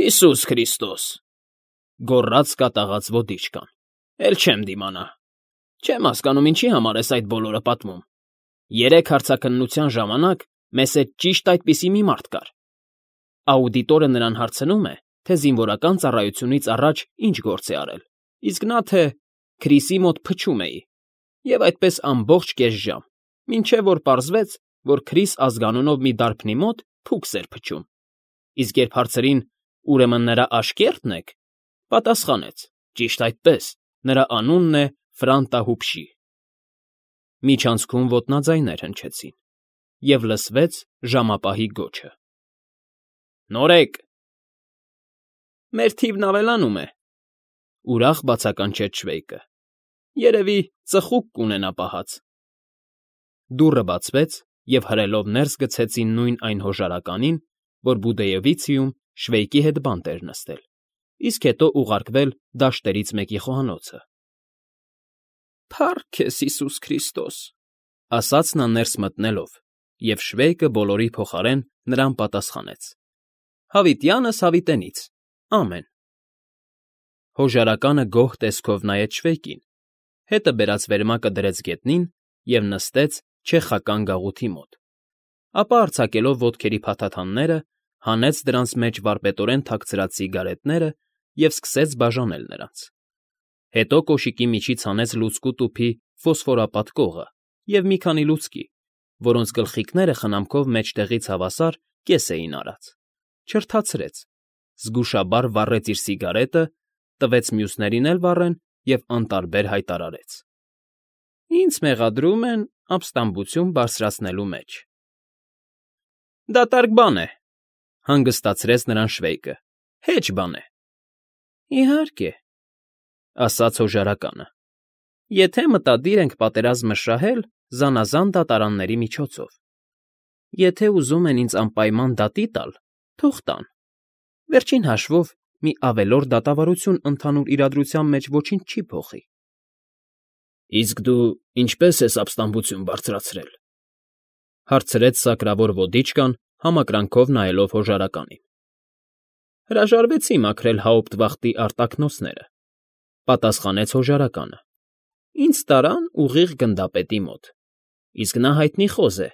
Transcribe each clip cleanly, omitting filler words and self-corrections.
Հիսուս Քրիստոս,֊ գոռաց կատաղած ոդիչկան,֊ էլ չեմ դիմանա։ Չեմ հասկանում, ինչի համար ես այդ բոլորը պատմում։ 3 հարցաքննության ժամանակ մեզ հետ ճիշտ այդպիսի մի մարդ կար։ Աուդիտորը նրան հարցնում է, թե զինվորական ծառայությունից առաջ ինչ գործ է արել, իսկ նա թե Քրիսի մոտ փչում էի, և այդպես ամբողջ կես ժամ, մինչև որ պարզվեց, որ Քրիս ազգանունով մի դարբնի մոտ փուքս էր փչում։ Իսկ երբ հարցրին. «Ուրեմն նրա աշկե՞րտն եք», պատասխանեց. «Ճիշտ այդպես, նրա անունն է Ֆրանտահուփշի»։ Միջանցքում ոտնաձայներ հնչեցին, և լսվեց ժամապահի գոչը. «Նորեկ»։ «Մեր թիվն ավելանում է», ուրախ բացականչեց Շվեյկը։ «Երևի ծխուկ կունենա պահած»։ Դուռը բացվեց, և հրելով ներս գցեցին նույն այն հոժարականին, որ Բուդեևիցիում Շվեյկի հետ բանտ էր նստել, իսկ հետո ուղարկվել դաշտերից մեկի խոհանոցը։ «Փառք քեզ, Հիսուս Քրիստոս», ասաց նա ներս մտնելով, և Շվեյկը բոլորի փոխարեն նրան պատասխանեց. «Հավիտյանս հավիտենից, ամեն»։ Հոժարականը գոհ տեսքով նայեց Շվեյկին, հետը բերած վերմակը դրեց գետնին և նստեց չեխական գաղութի մոտ, ապա արձակելով ոտքերի փաթաթանները, հանեց դրանց մեջ վարպետորեն թաքցրած սիգարետները և սկսեց բաժանել նրանց։ Հետո կոշիկի միջից հանեց լուցկու տուփի ֆոսֆորապատ կողը և մի քանի լուցկի, որոնց գլխիկները խնամքով մեջտեղից հավասար կես էին արած, չրթացրեց, զգուշաբար վառեց իր սիգարետը, տվեց մյուսներին էլ վառեն և անտարբեր հայտարարեց. «Ինձ մեղադրում են ապստամբություն բարձրացնելու մեջ»։ «Դատարկ բան է», հանգստացրեց նրան Շվեյկը, «հեչ բան է»։ «Իհարկե», ասաց հոժարականը, «եթե մտադիր ենք պատերազմը շահել զանազան դատարանների միջոցով։ Եթե ուզում են ինձ անպայման դատի տալ, թող տան։ Վերջին հաշվով մի ավելորդ դատավարություն ընդհանուր իրադրության մեջ ոչինչ չի փոխի»։ «Իսկ դու ինչպե՞ս ես ապստամբություն բարձրացրել», հարցրեց սակրավոր ոդիչկան, համակրանքով նայելով հոժարականին։ «Հրաժարվեցի մաքրել Հաուպտվախտի արտաքնոցները», պատասխանեց հոժարականը։ «Ինձ տարան ուղիղ գնդապետի մոտ, իսկ նա հայտնի խոզ է.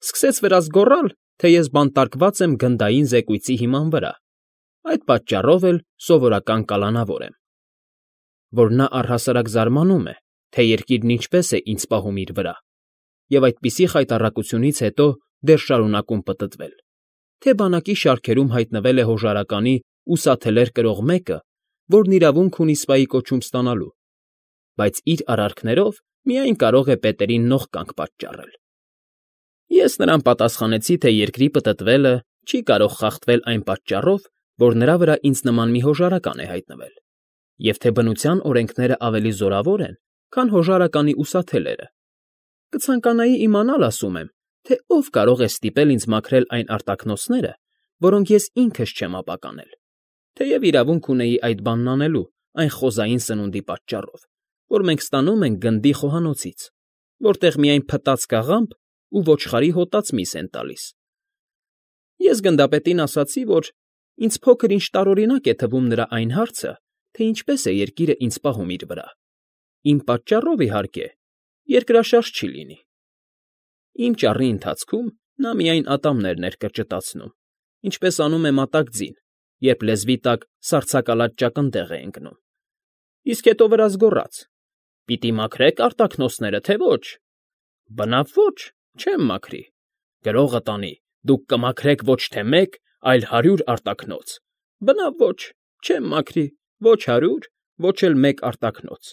սկսեց վրաս գոռալ, թե ես բանտարկված եմ գնդային զեկույցի հիման վրա, այդ պատճառով էլ սովորական կալանավոր եմ։ Որ նա առհասարակ զարմանում է, թե երկիրն ինչպես է ինձ պահում իր վրա, և այդպիսի խայտառակությունից հետո դեռ շարունակում պտտվել, թե բանակի շարքերում հայտնվել է հոժարականի ուսաթելեր կրող մեկը, որն իրավունք ունի սպայի կոչում ստանալու, բայց իր արարքներով միայն կարող է պետերին նողկանք պատճառել։ Ես նրան պատասխանեցի, թե երկրի պտտվելը չի կարող խախտվել այն պատճառով, որ նրա վրա ինձ նման մի հոժարական է հայտնվել, և թե բնության օրենքները ավելի զորավոր են, քան հոժարականի ուսաթելերը։ Կցանկանայի իմանալ, ասում եմ, թե ով կարող է ստիպել ինձ մաքրել այն արտաքնոցները, որոնք ես ինքս չեմ ապականել, թեև իրավունք ունեի այդ բանն անելու այն խոզային սնունդի պատճառով, որ մենք ստանում ենք գնդի խոհանոցից, որտեղ միայն փտած կաղամբ ու ոչխարի հոտած միս են տալիս։ Ես գնդապետին ասացի, որ ինձ փոքր-ինչ տարօրինակ է թվում նրա այն հարցը, թե ինչպես է երկիրը ինձ պահում իր վրա։ Իմ պատճառով, իհարկե, երկրաշարժ չի լինի։ Իմ ճառի ընթացքում նա միայն ատամներն էր կրճտացնում, ինչպես անում է մատակ ձին, երբ լեզվի տակ սառցակալած ճակնդեղ է ընկնում։ Իսկ հետո վրաս գոռաց. «Պիտի մաքրեք արտաքնոցները, թե ոչ»։ «Բնավ ոչ, չեմ մաքրի»։ «Գրողը տանի, դուք կմաքրեք ոչ թե 1, այլ 100 արտաքնոց»։ «Բնավ ոչ, չեմ մաքրի, ոչ 100, ոչ էլ 1 արտաքնոց»։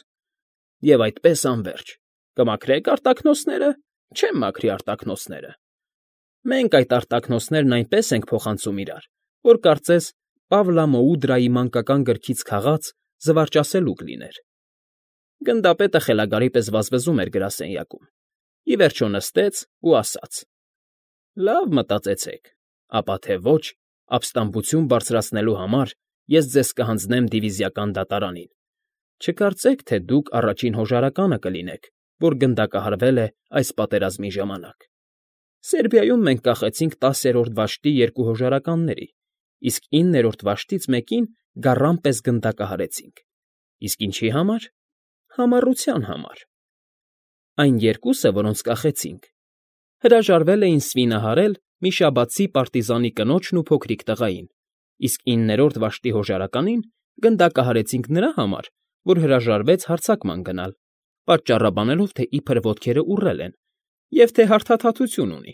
Եվ այդպես անվերջ. «Կմաքրեք արտաքնոցները»։ «Չեմ մաքրի արտաքնոցները»։ Մենք այդ արտաքնոցներն այնպես ենք փոխանցում իրար, որ կարծես Պավլամոուդրայի մանկական գրքից քաղած զվարճասելուկ լիներ։ Գնդապետը խելագարի պես վազվզում էր գրասենյակում, ի վերջո նստեց ու ասաց. «Լավ մտածեցեք, ապա թե ոչ, ապստամբություն բարձրացնելու համար ես ձեզ կհանձնեմ դիվիզիական դատարանին։ Չկարծեք, թե դուք առաջին հոժարականը կլինեք, որ գնդակահարվել է այս պատերազմի ժամանակ։ Սերբիայում մենք կախեցինք 10-րդ դաշտի 2 հոժարականների, իսկ 9-րդ վաշտից մեկին գառան պես գնդակահարեցինք։ Իսկ ինչի համար։ Համառության համար։ Այն երկուսը, որոնց կախեցինք, հրաժարվել էին սվինահարել մի շաբաթցի պարտիզանի կնոջն ու փոքրիկ տղային, իսկ 9-րդ վաշտի հոժարականին գնդակահարեցինք նրա համար, որ հրաժարվեց հարձակման գնալ, պատճառաբանելով, թե իբր ոտքերը ուռել են, և թե հարթաթաթություն ունի։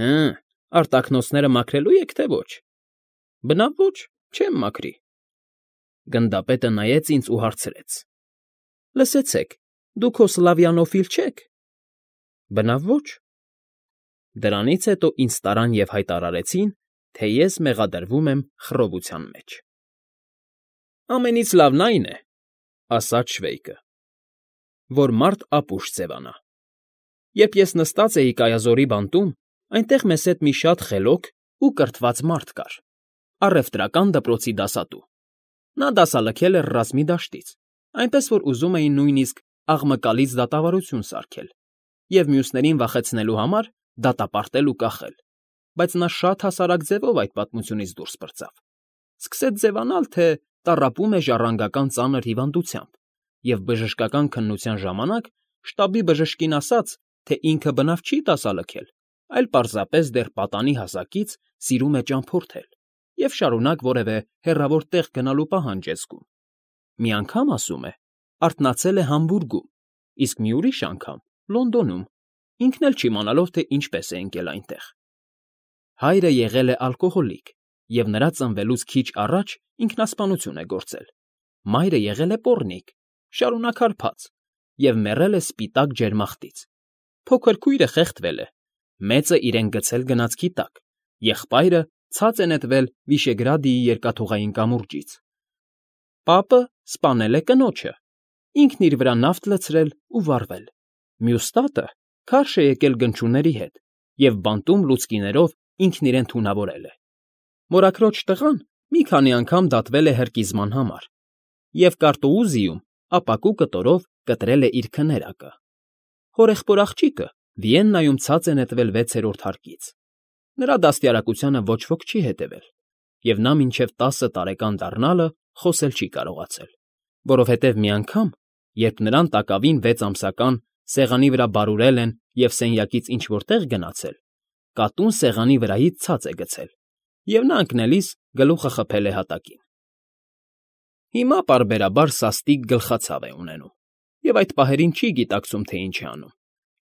Հը, արտաքնոցները մաքրելու եք, թե ոչ։ Բնավ ոչ, չեմ մաքրի։ Գնդապետը նայեց ինձ ու հարցրեց. Լսեցեք, դուք հո սլավյանոֆիլ չեք։ Բնավ ոչ։ Դրանից հետո ինձ տարան և հայտարարեցին, թե ես մեղադրվում եմ խռովության մեջ։ Ամենից լավն այն է, ասաց Շվեյկը, որ մարդ ապուշ ձևանա։ Երբ ես նստած էի կայազորի բանտում, այնտեղ մեզ հետ մի շատ խելոք ու կրթված մարդ կար, առևտրական դպրոցի դասատու։ Նա դասալքել էր ռազմի դաշտից, այնպես որ ուզում էին նույնիսկ աղմկալից դատավարություն սարքել և մյուսներին վախեցնելու համար դատապարտել ու կախել, բայց նա շատ հասարակ ձևով այդ պատմությունից դուրս պրծավ։ Սկսեց ձևանալ, թե տառապում է ժառանգական ծանր հիվանդությամբ և բժշկական քննության ժամանակ շտաբի բժշկին ասաց, թե ինքը բնավ չի դասալքել, այլ պարզապես դեռ պատանի հասակից սիրում է ճամփորդել և շարունակ որևէ հեռավոր տեղ գնալու պահանջ է զգում։ Մի անգամ, ասում է, արթնացել է Համբուրգում, իսկ մի ուրիշ անգամ՝ Լոնդոնում, ինքն էլ չիմանալով, թե ինչպես է ընկել այնտեղ։ Հայրը եղել է ալկոհոլիկ և նրա ծնվելուց քիչ առաջ ինքնասպանություն է գործել։ Մայրը եղել է պոռնիկ, շարունակ հարբած և մեռել է սպիտակ ջերմախտից։ Փոքր քույրը խեղդվել է, մեծը իրեն գցել գնացքի տակ, եղբայրը ցած է նետվել Վիշեգրադիի երկաթուղային կամուրջից։ Պապը սպանել է կնոջը, ինքն իր վրա նավթ լցրել ու վառվել։ Մյուս տատը քարշ է եկել գնչուների հետ և բանտում լուցկիներով ինքն իրեն թունավորել է։ Մորաքրոջ տղան մի քանի անգամ դատվել է հրկիզման համար և Կարտոուզիում ապակու կտորով կտրել է իր քներակը։ Հորեղբոր աղջիկը Վիեննայում ցած է նետվել 6-րդ հարկից։ Նրա դաստիարակությանը ոչ ոք չի հետևել, և նա մինչև 10 տարեկան դառնալը խոսել չի կարողացել, որովհետև մի անգամ, երբ նրան տակավին 6 ամսական սեղանի վրա բարուրել են և սենյակից ինչ֊որ տեղ գնացել, կատուն սեղանի վրայից ցած է գցել, և նա ընկնելիս գլուխը խփել է հատակին։ Հիմա պարբերաբար սաստիկ գլխացավ է ունենում, և այդ պահերին չի գիտակցում, թե ինչ է անում,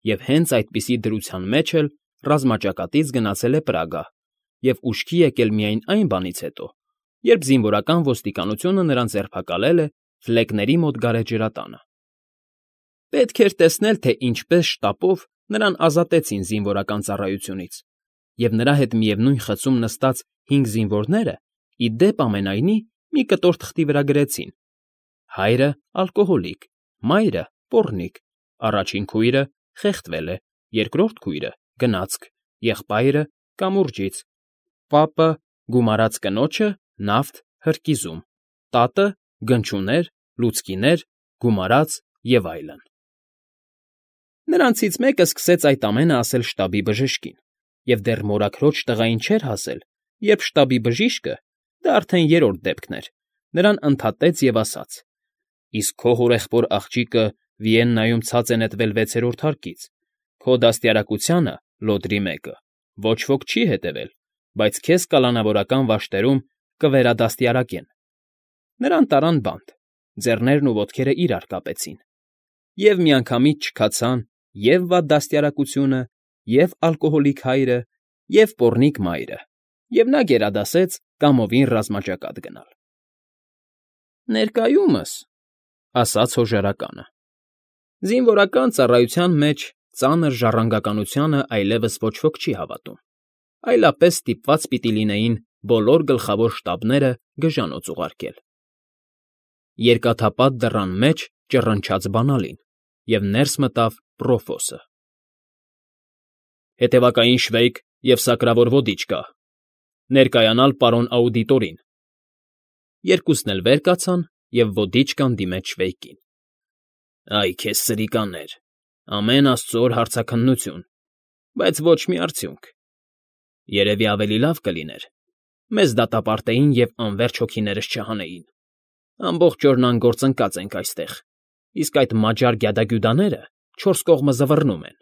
և հենց այդպիսի դրության մեջ էլ ռազմաճակատից գնացել է Պրագա և ուշքի եկել միայն այն բանից հետո, երբ զինվորական ոստիկանությունը նրան ձերբակալել է Ֆլեկների մոտ գարեջրատանը։ Պետք էր տեսնել, թե ինչպես շտապով նրան ազատեցին զինվորական ծառայությունից, և նրա հետ միևնույն խցում նստած 5 զինվորները, ի դեպ ամենայնի, մի կտոր թղթի վրա գրեցին. հայրը ալկոհոլիկ, մայրը պոռնիկ, առաջին քույրը խեղդվել է, երկրորդ քույրը գնացք, եղբայրը կամուրջից, պապը գումարած կնոջը նավթ հրկիզում, տատը գնչուներ, լուցկիներ, գումարած և այլն։ Նրանցից մեկը սկսեց այդ ամենը ասել շտաբի բժշկին, և դեռ մորաքրոջ տղային չէր հասել, երբ շտաբի բժիշկը, դա արդեն երրորդ դեպքն էր, նրան ընդհատեց և ասաց. իսկ քո հորեղբոր աղջիկը Վիեննայում ցած է նետվել 6-րդ հարկից, քո դաստիարակությանը, լոդրի մեկը, ոչ ոք չի հետևել, բայց քեզ կալանավորական վաշտերում կվերադաստիարակեն։ Նրան տարան բանտ, ձեռներն ու ոտքերը իրար կապեցին, և միանգամից չքացան և՛ վատ դաստիարակությունը, և՛ ալկոհոլիկ հայրը, և՛ պոռնիկ մայրը, և նա գերադասեց կամովին ռազմաճակատ գնալ։ Ներկայումս, ասաց հոժարականը, զինվորական ծառայության մեջ ծանր ժառանգականությանը այլևս ոչ ոք չի հավատում, այլապես ստիպված պիտի լինեին բոլոր գլխավոր շտաբները գժանոց ուղարկել։ Երկաթապատ դռան մեջ ճռնչաց բանալին, և ներս մտավ Պրոֆոսը։ Հետևակային Շվեյկ և սակրավոր ոդիչկա, ներկայանալ պարոն աուդիտորին։ Երկուսն էլ վեր կացան, և ոդիչկան դիմեց Շվեյկին։ Այ քեզ սրիկաներ, ամեն աստծո օր հարցաքննություն, բայց ոչ մի արդյունք։ Երևի ավելի լավ կլիներ, Մեզ դատապարտեին և անվերջ հոգիներս չհանեին։ Ամբողջ օրն անգործ ընկած ենք այստեղ, իսկ այդ մաջար գյադագյուդաները չորս կողմը զվռնում են։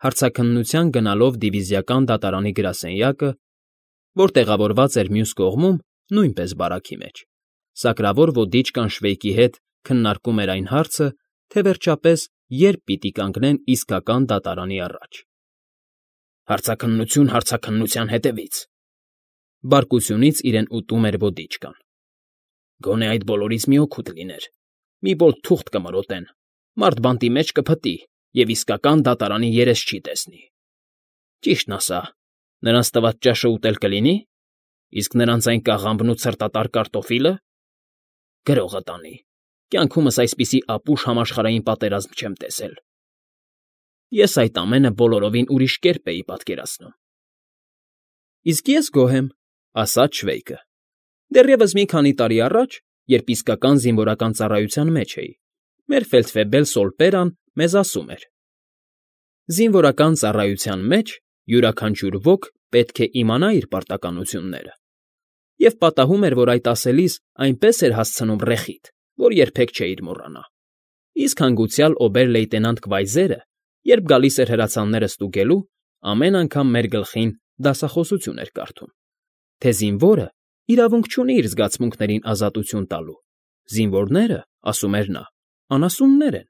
Հարցաքննության գնալով դիվիզիական դատարանի գրասենյակը, որ տեղավորված էր մյուս կողմում, նույնպես բարաքի մեջ, սակրավոր ոդիչկան Շվեյկի հետ քննարկում էր այն հարցը, թե վերջապես երբ պիտի կանգնեն իսկական դատարանի առաջ։ Հարցաքննություն հարցաքննության հետևից, բարկությունից իրեն ուտում էր ոդիչկան։ Գոնե այդ բոլորից մի օգուտ լիներ, մի ոտ թուղթ կմրոտեն, մարդ բանտի մեջ կփտի և իսկական դատարանի երես չի տեսնի։ Ճիշտն ասա, նրանց տված ճաշը ուտել կլինի, իսկ նրանց այն կաղամբն ու ցրտատար կարտոֆիլը… Գրողը տանի, կյանքումս այսպիսի ապուշ համաշխարհային պատերազմ չեմ տեսել։ Ես այդ ամենը բոլորովին ուրիշ կերպ էի պատկերացնում։ Իսկ ես գոհ եմ, ասաց Շվեյկը։ Դեռևս մի քանի տարի առաջ, երբ իսկական զինվորական ծառայության մեջ էի, մեր ֆելդֆեբել Սոլպերան մեզ ասում էր. «Զինվորական ծառայության մեջ յուրաքանչյուր ոք պետք է իմանա իր պարտականությունները», և պատահում էր, որ այդ ասելիս այնպես էր հասցնում ռեխիթ, որ երբեք չէիր մոռանա։ Իսկ հանգուցյալ օբեր֊լեյտենանտ Կվայզերը, երբ գալիս էր հրացանները ստուգելու, ամեն անգամ մեր գլխին դասախոսություն էր կարդում, թե զինվորը իրավունք չունի իր զգացմունքներին ազատություն տալու, զինվորները, ասում էր նա, անասուններ են,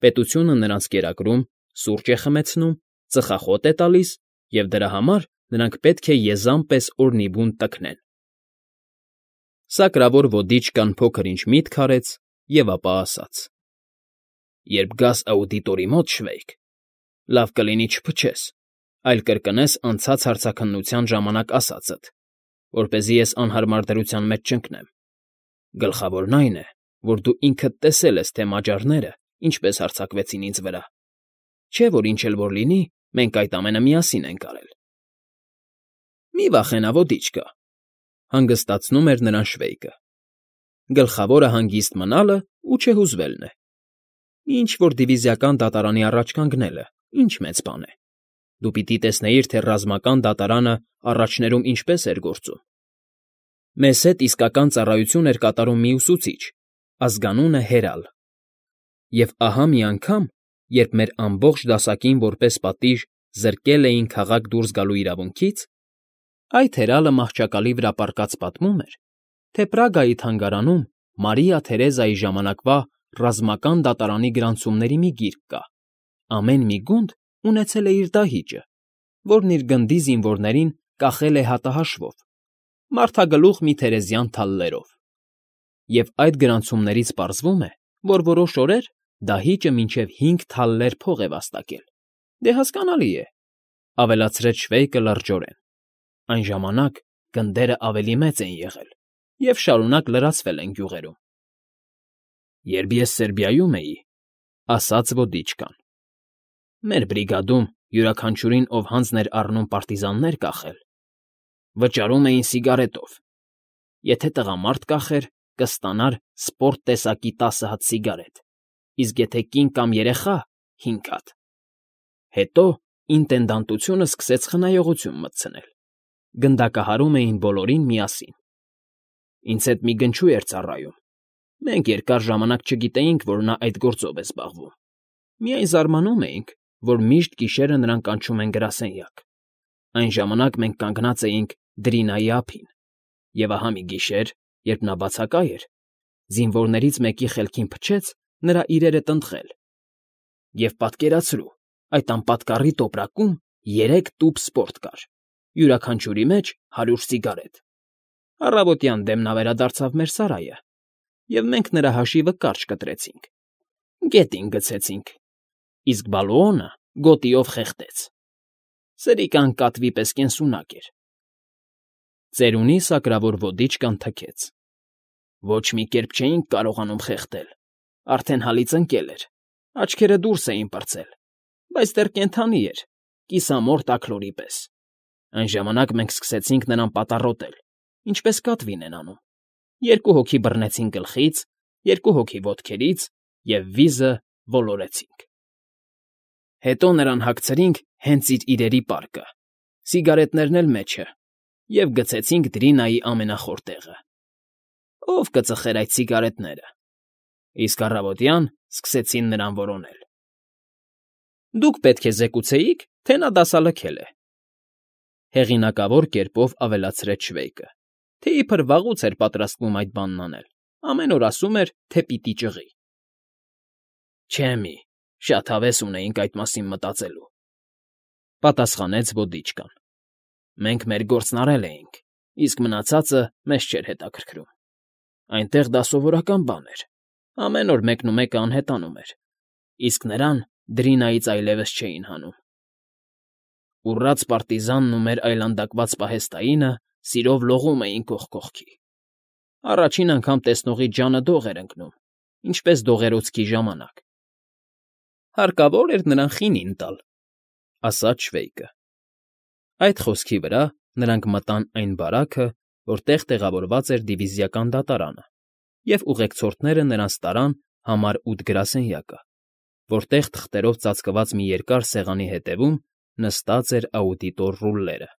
պետությունը նրանց կերակրում, սուրճ է խմեցնում, ծխախոտ է տալիս, և դրա համար նրանք պետք է եզան պես օրնիբուն տքնեն։ Սակրավոր ոդիչկան փոքր֊ինչ միտք արեց և ապա ասաց. «Երբ գաս աուդիտորի մոտ, Շվեյկ, լավ կլինի չփչես, այլ կրկնես անցած հարցաքննության ժամանակ ասածդ, որպեսզի ես անհարմար դրության մեջ չընկնեմ։ Գլխավորն այն է, որ դու ինքդ տեսել ես, թե մաջարները ինչպես հարձակվեցին ինձ վրա, չէ՞ որ ինչ էլ որ լինի, մենք այդ ամենը միասին ենք արել»։ Մի վախենա, ոդիչկա, հանգստացնում էր նրան Շվեյկը։ Գլխավորը հանգիստ մնալը ու չհուզվելն է։ Ինչ որ դիվիզիական դատարանի առաջ կանգնելը, ինչ մեծ բան է։ Դու պիտի տեսնեիր, թե ռազմական դատարանը առաջներում ինչպես էր գործում։ Մեզ հետ իսկական ծառայություն էր կատարում մի ուսուցիչ, ազգանունը Հերալ։ Եվ ահա մի անգամ, երբ մեր ամբողջ դասակին որպես պատիժ զրկել էին քաղաք դուրս գալու իրավունքից, այդ Հերալը մահճակալի վրա պառկած պատմում էր, թե Պրագայի թանգարանում Մարիա Թերեզայի ժամանակվա ռազմական դատարանի գրանցումների մի գիրք կա, ամեն մի գունդ ունեցել է իր դահիճը, որն իր գնդի զինվորներին կախել է հատահաշվով, մարդագլուխ մի թերեզյան թալլերով։ Եվ այդ գրանցումներից պարզվում է, որ որոշ օրեր դահիճը մինչև 5 թալլեր փող է վաստակել։ Դե հասկանալի է, ավելացրեց Շվեյկը լրջորեն։ Այն ժամանակ գնդերը ավելի մեծ են եղել և շարունակ լրացվել են գյուղերում։ Երբ ես Սերբիայում էի, ասաց ոդիչկան, մեր բրիգադում յուրաքանչյուրին, ով հանձն էր առնում պարտիզաններ կախել, վճարում էին սիգարետով։ Եթե տղամարդ կախեր, կստանար սպորտ տեսակի 10 հատ սիգարետ, իսկ եթե կին կամ երեխա՝ 5 հատ։ Հետո ինտենդանտությունը սկսեց խնայողություն մտցնել։ Գնդակահարում էին բոլորին միասին։ Ինձ հետ մի գնչու էր ծառայում։ Մենք երկար ժամանակ չգիտեինք, որ նա այդ գործով է զբաղվում։ Միայն զարմանում էինք, որ միշտ գիշերը նրան կանչում են գրասենյակ։ Այն ժամանակ մենք կանգնած էինք Դրինայի ափին, և ահա մի գիշեր, երբ նա բացակա էր, զինվորներից մեկի խելքին փչեց նրա իրերը տնտղել։ Եվ պատկերացրու, այդ անպատկառի տոպրակում 3 տուփ սպորտ կար, յուրաքանչյուրի մեջ 100 սիգարետ։ Առավոտյան դեմ նա վերադարձավ մեր սարայը, և մենք նրա հաշիվը կարճ կտրեցինք, գետին գցեցինք, իսկ Բալուոնը գոտիով խեղդեց։ Սրիկան կատվի պես կենսունակ էր։ Ծերունի սակրավոր ոդիչկան թքեց։ Ոչ մի կերպ չէինք կարողանում խեղդել, արդեն հալից ընկել էր, աչքերը դուրս էին պրծել, բայց դեռ կենդանի էր, կիսամորթ աքլորի պես։ Այն ժամանակ մենք սկսեցինք նրան պատառոտել, ինչպես կատվին են անում։ 2 հոգի բռնեցին գլխից, 2 հոգի ոտքերից և վիզը ոլորեցինք։ Հետո նրան հագցրինք հենց իր իրերի պարկը, սիգարետներն էլ մեջը, և գցեցինք Դրինայի ամենախոր տեղը։ Ո՞վ կծխեր այդ սիգարետները։ Իսկ առավոտյան սկսեցին նրան որոնել։ Դուք պետք է զեկուցեիք, թե նա դասալքել է,֊ հեղինակավոր կերպով ավելացրեց Շվեյկը, թե իբր վաղուց էր պատրաստվում այդ բանն անել, ամեն օր ասում էր, թե պիտի ճղի։ Չէ մի, շատ հավես ունեինք այդ մասին մտածելու,֊ պատասխանեց ոդիչկան։ Մենք մեր գործն արել էինք, իսկ մնացածը մեզ չէր հետաքրքրում։ Այնտեղ դա սովորական բան էր, ամեն օր մեկնումեկը անհետանում էր, իսկ նրան Դրինայից այլևս չէին հանում։ Ուռած պարտիզանն ու մեր այլանդակված պահեստայինը սիրով լողում էին կողք կողքի։ Առաջին անգամ տեսնողից ջանը դող էր ընկնում, ինչպես դողերոցքի ժամանակ։ Հարկավոր էր նրան խինին տալ,֊ ասաց Շվեյկը։ Այդ խոսքի վրա նրանք մտան այն բարաքը, որտեղ տեղավորված էր դիվիզիական դատարանը, և ուղեկցորդները նրանց տարան համար 8 գրասենյակը, որտեղ թղթերով ծածկված մի երկար սեղանի հետևում նստած էր աուդիտոր Ռուլլերը։